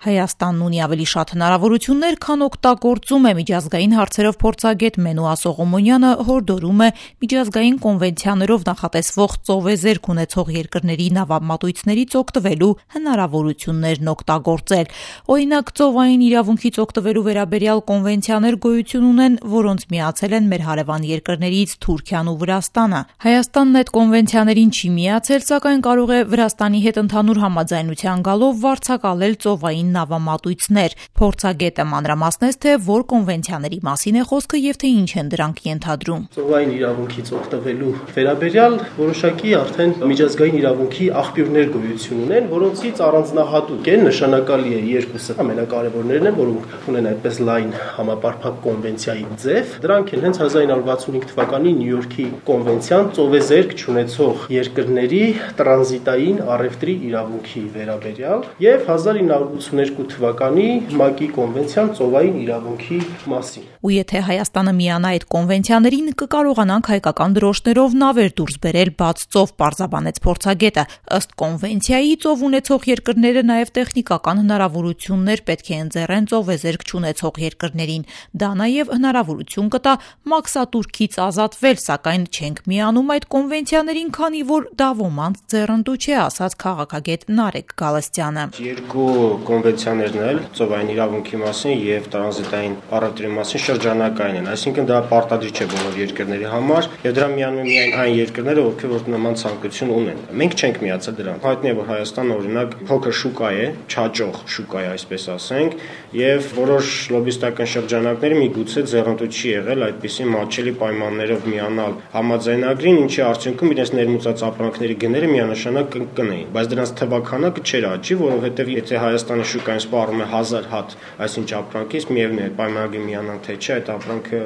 Հայաստանն ունի ավելի շատ հնարավորություններ, քան օգտագործում է միջազգային հարցերով փորձագետ Մենուա Սողոմոնյանը հորդորում է միջազգային կոնվենցիաներով նախատեսվող ծովեզերք ունեցող երկրների նավամատույցներից օգտվելու հնարավորություններն օգտագործել։ Օրինակ, ծովային իրավունքից օգտվելու վերաբերյալ կոնվենցիաներ գոյություն ունեն, որոնց միացել են մեր հարևան երկրներից Թուրքիան ու Վրաստանը։ Հայաստանն այդ կոնվենցիաներին չի միացել, սակայն կարող է Վրաստանի հետ ընդհանուր համաձայնության գալով վարձակալել ծովային նավամատույցներ։ Փորձագետը մանրամասնեց, թե որ կոնվենցիաների մասին է խոսքը եւ թե ինչ են դրանք ենթադրում։ Ծովային իրավունքից օգտվելու վերաբերյալ որոշակի արդեն միջազգային իրավունքի աղբյուրներ գոյություն ունեն, որոնցից առանձնահատուկ են, նշանակալի է երկուսը ամենակարևորներն են, որոնք ունեն այդպես լայն համապարփակ կոնվենցիայի ձև։ Դրանք են հենց 1965 թվականի Նյու Յորքի կոնվենցիան ծովեզերք չունեցող երկրների տրանզիտային առևտրի իրավունքի վերաբերյալ եւ 1982 թվականի ՄԱԿ-ի կոնվենցիան ծովային իրավունքի մասին։ Ու եթե Հայաստանը միանա այդ կոնվենցիաներին, կկարողանանք հայկական դրոշներով նավեր դուրս բերել բաց ծով, պարզաբանեց փորձագետը։ Ըստ կոնվենցիայի, ծով ունեցող երկրները նաև տեխնիկական հնարավորություններ պետք է ընձեռեն ծովեզերք չունեցող երկրներին։ Դա նաև հնարավորություն կտա մաքսատուրքից ազատվել, սակայն չենք միանում այդ կոնվենցիաներին, քանի որ դա ոմանց ձեռնտու չէ, ասաց քաղաքագետ Նարեկ Գալստյանը։ Երկու կոնվենցիաներն էլ ծովային իրավունքի մասին եւ տրանզիտային առևտրի մասին շրջանակային են, այսինքն դա պարտադիր չէ բոլոր երկրների համար եւ դրան միանում են միայն այն երկրները, ովքեր նման ցանկություն ունեն։ Մենք չենք միացել դրան։ Հայտնի է, որ Հայաստանը օրինակ փոքր շուկա է, չաճող շուկա է, այսպես ասենք, եւ որոշ լոբիստական շրջանակների միգուցե ձեռնտու չի եղել այդպիսի մատչելի պայմաններով միանալ համաձայնագրին, ինչի արդյունքում իրենց ներմուծած ապրանքների գները միանշանակ կընկնեին, բայց դրանց թվականակը չէր աճի, որովհետեւ եթե Հայաստանի շուկային սպառում է 1000 հատ այսինչ ապրանքից, միևնույն է պայմանագրի միանան թե չէ, այդ ապրանքը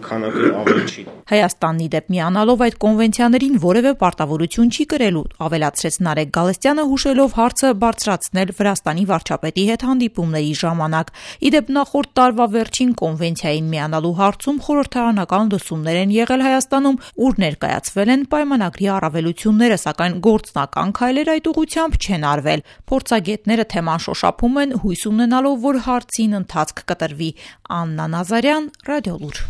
քանակի ավելի չի։ Հայաստանն ի դեպ միանալով այդ կոնվենցիաներին որևէ պարտավորություն չի կրելու, ավելացրեց Նարեկ Գալստյանը, հուշելով հարցը բարձրացնել Վրաստանի վարչապետի հետ հանդիպումների ժամանակ։ Ի դեպ նախորդ տարվա վերջին կոնվենցիային միանալու հարցում խորհրդարանական լսումներ են եղել Հայաստանում, ուր ներկայացվել են պայմանագրի առավելությունները, սակայն գործնական քայլեր այդ ուղղությամբ չեն արվել։ Փորձագետները թեման շոշափում են, հույս ունենալով, որ հարցին ընթացք կտրվի։ Աննա Նազարյան, Ռադիոլուր։